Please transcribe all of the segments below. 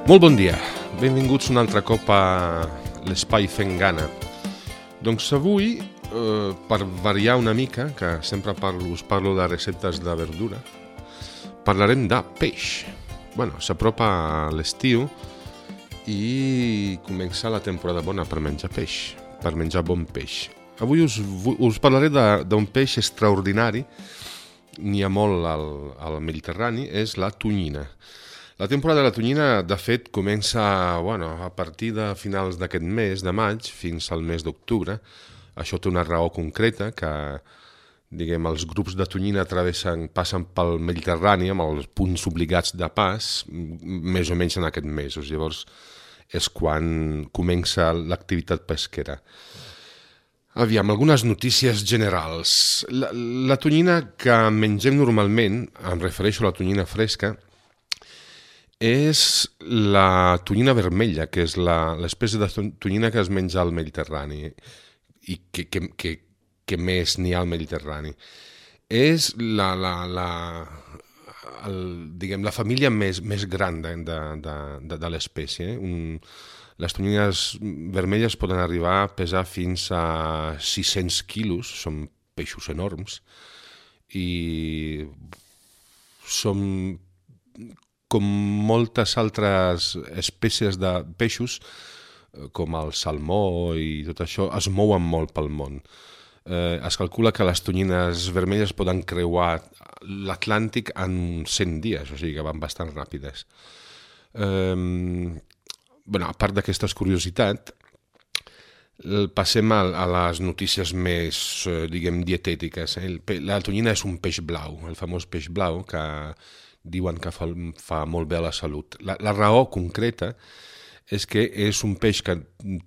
Molt bon dia, benvinguts un altre cop a l'Espai Fent Gana. Doncs avui, per variar una mica, que sempre us parlo de receptes de verdura, parlarem de peix. Bueno, s'apropa l'estiu i comença la temporada bona per menjar peix, per menjar bon peix. Avui us parlaré d'un peix extraordinari, n'hi ha molt al Mediterrani, és la tonyina. La temporada de la tonyina, de fet, comença a partir de finals d'aquest mes, de maig, fins al mes d'octubre. Això té una raó concreta, que els grups de tonyina passen pel Mediterrani amb els punts obligats de pas, més o menys en aquests mesos. Llavors és quan comença l'activitat pesquera. Aviam, algunes notícies generals. La tonyina que mengem normalment, em refereixo a la tonyina fresca, és la tonyina vermella, que és l'espècie de tonyina que es menja al Mediterrani i que més n'hi ha al Mediterrani. És la família més gran de l'espècie. Les tonyines vermelles poden arribar a pesar fins a 600 quilos, són peixos enormes, i són com moltes altres espècies de peixos, com el salmó i tot això, es mouen molt pel món. Es calcula que les tonyines vermelles poden creuar l'Atlàntic en 100 dies, o sigui que van bastant ràpides. A part d'aquestes curiositats, passem a les notícies més, dietètiques. La tonyina és un peix blau, el famós peix blau, que diuen que fa molt bé a la salut. La raó concreta és que és un peix que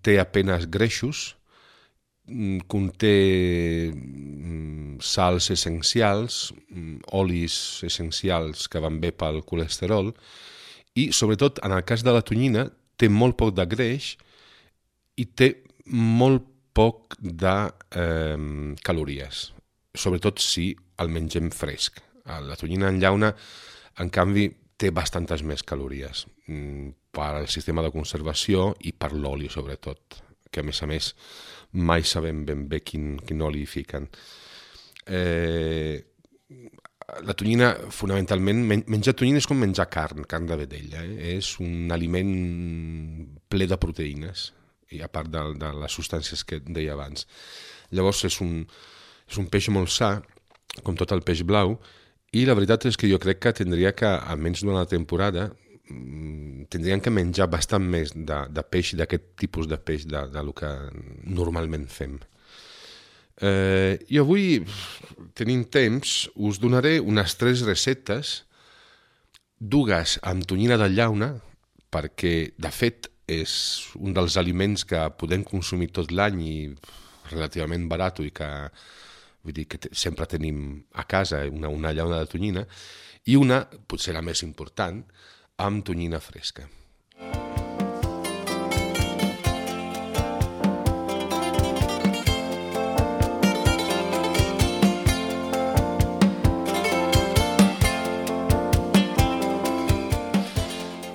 té apenas greixos, conté sals essencials, olis essencials que van bé pel colesterol i, sobretot, en el cas de la tonyina, té molt poc de greix i té molt poc de calories, sobretot si el mengem fresc. La tonyina en llauna, en canvi, té bastantes més calories per al sistema de conservació i per l'oli, sobretot, que a més mai sabem ben bé quin oli hi fiquen. La tonyina, fonamentalment, menjar tonyina és com menjar carn de vedella. És un aliment ple de proteïnes, i a part de les substàncies que deia abans. Llavors és un peix molt sa, com tot el peix blau, i la veritat és que jo crec que tindria que, almenys durant la temporada, tindrien que menjar bastant més de peix, d'aquest tipus de peix, del que normalment fem. I avui, tenint temps, us donaré unes 3 receptes, dues amb tonyina de llauna, perquè, de fet, és un dels aliments que podem consumir tot l'any i relativament barat, i que sempre tenim a casa una llauna de tonyina, i una, potser la més important, amb tonyina fresca.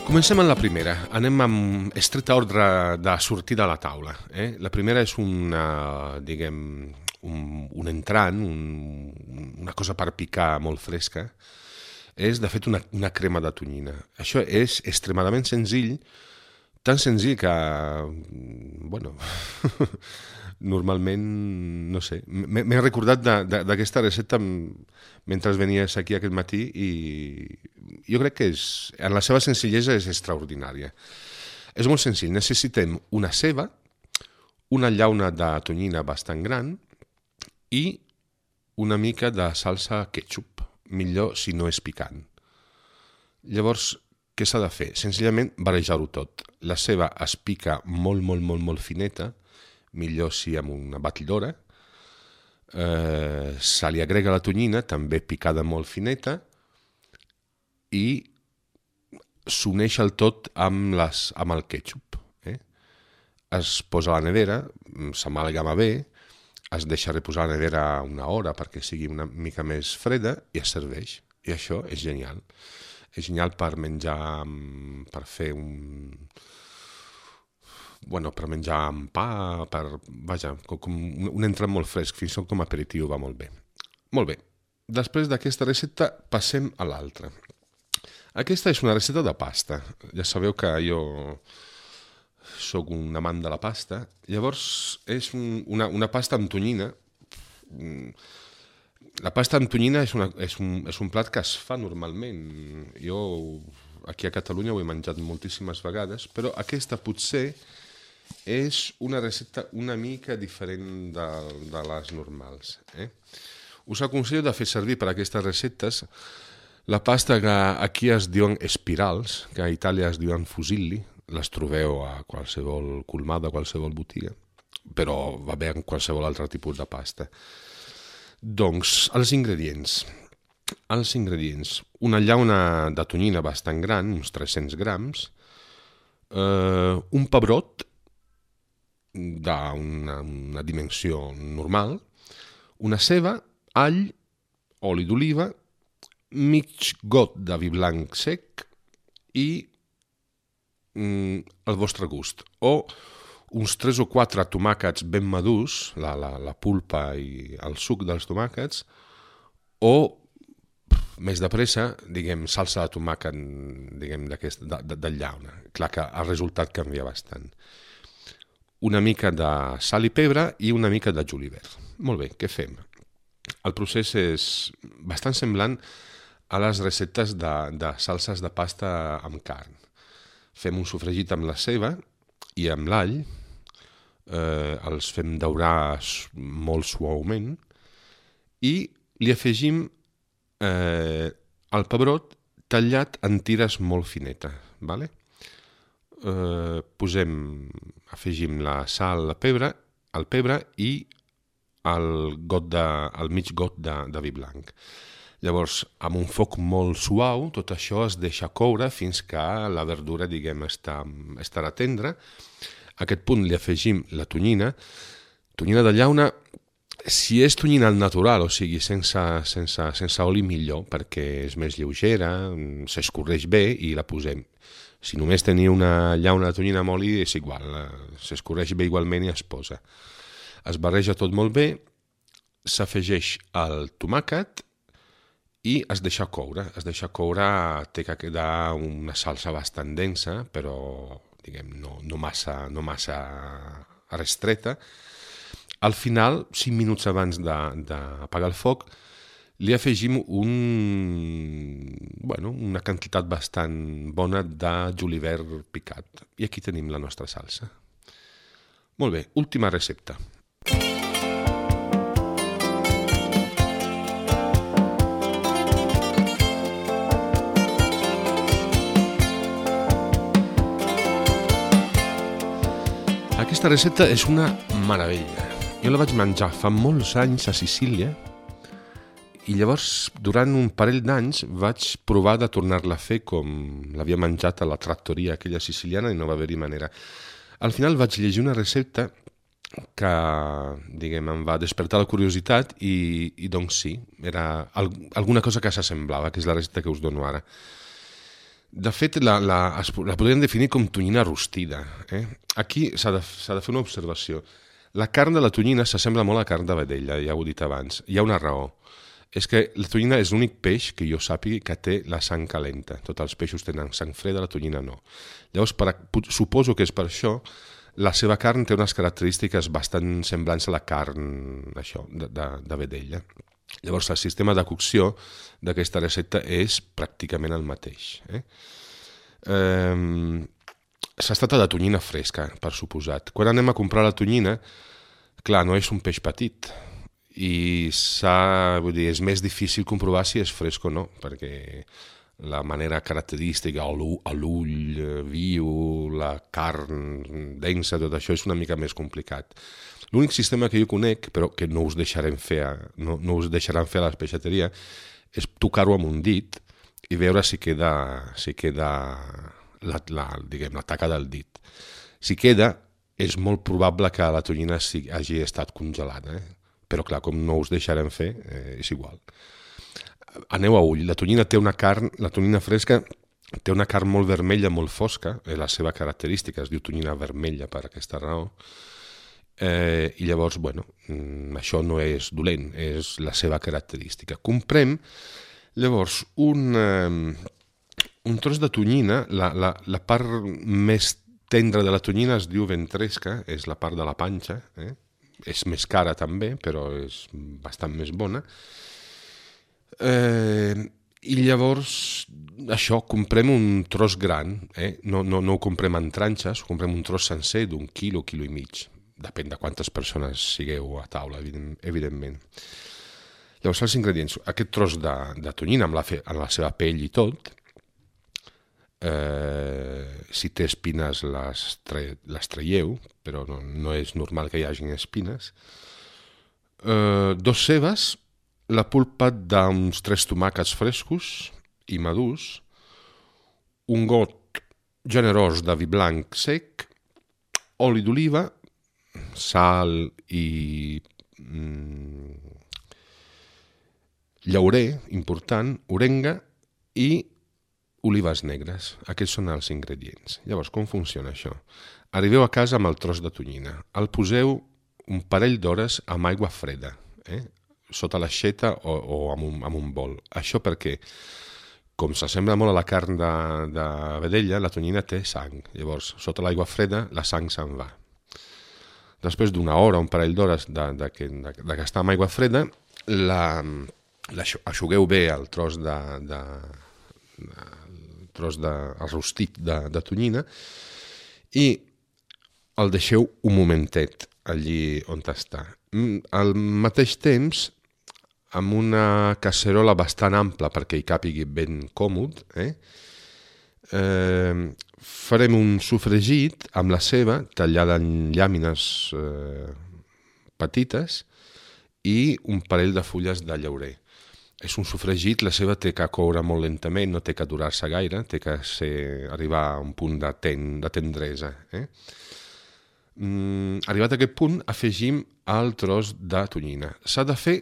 Comencem amb la primera. Anem amb estret ordre de sortida a la taula. La primera és un entrant, una cosa per picar molt fresca, és de fet una crema de tonyina. Això és extremadament senzill, tan senzill que, normalment, no sé, m'he recordat d'aquesta recepta mentre venies aquí aquest matí i jo crec que en la seva senzillesa és extraordinària. És molt senzill, necessitem una ceba, una llauna de tonyina bastant gran, i una mica de salsa ketchup, millor si no és picant. Llavors, què s'ha de fer? Senzillament barrejar-ho tot. La ceba es pica molt, molt, molt, molt fineta, millor si amb una batidora. Se li agrega la tonyina, també picada molt fineta, i s'uneix el tot amb el ketchup. Es posa a la nevera, s'amalgama bé, es deixa reposar a la nevera una hora perquè sigui una mica més freda i es serveix. I això és genial. És genial per menjar, per fer per menjar amb pa, vaja, com un entrat molt fresc, fins i tot com a aperitiu va molt bé. Molt bé, després d'aquesta recepta passem a l'altra. Aquesta és una recepta de pasta. Ja sabeu que jo sóc un amant de la pasta. Llavors és una pasta amb tonyina. La pasta amb tonyina és un plat que es fa normalment. Jo aquí a Catalunya ho he menjat moltíssimes vegades, però aquesta potser és una recepta una mica diferent de les normals. Us aconsello de fer servir per a aquestes receptes la pasta que aquí es diuen espirals, que a Itàlia es diuen fusilli. Les trobeu a qualsevol colmada, a qualsevol botiga, però va bé en qualsevol altre tipus de pasta. Doncs els ingredients. Una llauna de tonyina bastant gran, uns 300 grams, un pebrot d'una dimensió normal, una ceba, all, oli d'oliva, mig got de vi blanc sec i al vostre gust. O uns 3 o 4 tomàquets ben madurs, la pulpa i el suc dels tomàquets, o més de pressa, diguem, salsa de tomàquet, diguem, de llauna. Clar que el resultat canvia bastant. Una mica de sal i pebre i una mica de julivert. Molt bé, què fem? El procés és bastant semblant a les receptes de salses de pasta amb carn. Fem un sofregit amb la ceba i amb l'all, els fem daurar molt suaument i li afegim el pebrot tallat en tires molt finetes. Vale? Afegim la sal, el pebre i el mig got de vi blanc. Llavors, amb un foc molt suau, tot això es deixa coure fins que la verdura, diguem, estarà tendra. A aquest punt li afegim la tonyina de llauna, si és tonyina al natural, o sigui, sense oli millor, perquè és més lleugera, s'escorreix bé i la posem. Si només teniu una llauna de tonyina amb oli, és igual, s'escorreix bé igualment i es posa. Es barreja tot molt bé, s'afegeix el tomàquet i es deixa coure. Té que quedar una salsa bastant densa, però diguem, no massa restreta. Al final, 5 minuts abans d'apagar el foc, li afegim una quantitat bastant bona de julivert picat. I aquí tenim la nostra salsa. Molt bé, última recepta. Aquesta recepta és una meravella. Jo la vaig menjar fa molts anys a Sicília i llavors, durant un parell d'anys, vaig provar de tornar-la a fer com l'havia menjat a la trattoria aquella siciliana i no va haver-hi manera. Al final vaig llegir una recepta que, diguem, em va despertar la curiositat i doncs sí, era alguna cosa que s'assemblava, que és la recepta que us dono ara. De fet, la podríem definir com tonyina rostida. Aquí s'ha de fer una observació. La carn de la tonyina s'assembla molt a la carn de vedella, ja ho he dit abans. Hi ha una raó. És que la tonyina és l'únic peix que jo sàpiga que té la sang calenta. Tots els peixos tenen sang freda, la tonyina no. Llavors, suposo que és per això, la seva carn té unes característiques bastant semblants a la carn de vedella. Llavors, el sistema de cocció d'aquesta recepta és pràcticament el mateix. S'ha de tonyina fresca, per suposat. Quan anem a comprar la tonyina, clar, no és un peix petit, i és més difícil comprovar si és fresc o no, perquè la manera característica, l'ull viu, la carn densa, tot això és una mica més complicat. L'únic sistema que jo conec, però que no us deixaran fer a la peixateria, és tocar-ho amb un dit i veure si queda la taca del dit. Si queda, és molt probable que la tonyina hagi estat congelada, però clar, com no us deixarem fer, és igual. aneu a ull, la tonyina fresca té una carn molt vermella, molt fosca, és la seva característica, es diu tonyina vermella per aquesta raó, i llavors, això no és dolent, és la seva característica. Comprem, llavors, un tros de tonyina, la part més tendra de la tonyina es diu ventresca, és la part de la panxa, és més cara també, però és bastant més bona. I llavors, això, comprem un tros gran, no ho comprem en tranxes, comprem un tros sencer d'un quilo i mig. Depèn de quantes persones sigueu a taula, evidentment. Llavors, els ingredients, aquest tros de tonyina amb la seva pell i tot, si té espines les traieu, però no és normal que hi hagin espines. 2 cebes, la pulpa d'uns 3 tomàquets frescos i madurs, un got generós de vi blanc sec, oli d'oliva, sal i llaurer, important, orenga i olives negres. Aquests són els ingredients. Llavors, com funciona això? Arribeu a casa amb el tros de tonyina. El poseu un parell d'hores amb aigua freda, sota l'aixeta o amb un bol. Això perquè, com s'assembla molt a la carn de vedella, la tonyina té sang. Llavors, sota l'aigua freda, la sang se'n va. Després d'una hora, un parell d'hores de que està amb aigua freda, aixugueu bé el tros el rostit de tonyina i el deixeu un momentet allí on està. Al mateix temps, amb una casserola bastant ampla perquè hi càpigui ben còmode, farem un sofregit amb la ceba tallada en llàmines petites i un parell de fulles de llaurer. És un sofregit, la ceba té que coure molt lentament, no té que durar-se gaire, té que arribar a un punt de tendresa. Arribat a aquest punt, afegim el tros de tonyina. S'ha de fer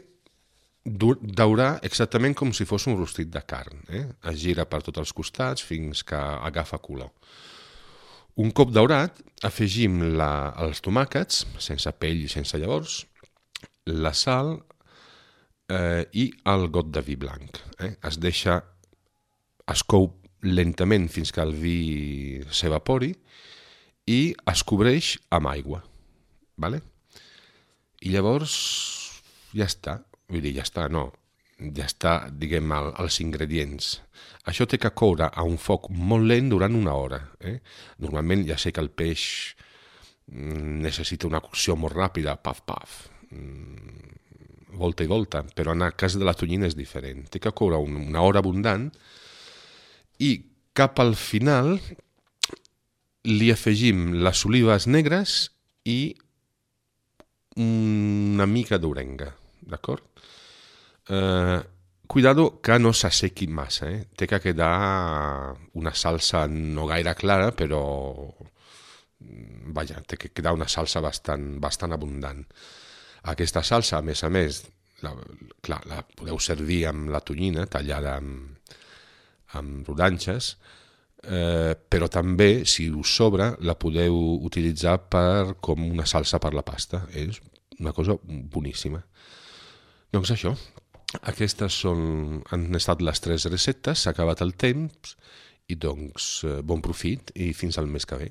daurar exactament com si fos un rostit de carn. Es gira per tots els costats fins que agafa color. Un cop daurat, afegim els tomàquets, sense pell i sense llavors, la sal i el got de vi blanc. Es cou lentament fins que el vi s'evapori i es cobreix amb aigua. I llavors ja està. Vull dir, ja està, diguem, els ingredients. Això té que coure a un foc molt lent durant una hora. Normalment ja sé que el peix necessita una cocció molt ràpida, paf, volta i volta, però en el cas de la tonyina és diferent. Té que coure una hora abundant i cap al final li afegim les olives negres i una mica d'orenga, d'acord? Cuidado que no s'assequi massa, té que quedar una salsa no gaire clara, però té que quedar una salsa bastant abundant. Aquesta salsa, a més, la podeu servir amb la tonyina tallada amb rodanxes, però també, si us sobra, la podeu utilitzar com una salsa per la pasta. És una cosa boníssima. Doncs això, aquestes han estat les 3 receptes, s'ha acabat el temps i doncs bon profit i fins al mes que ve.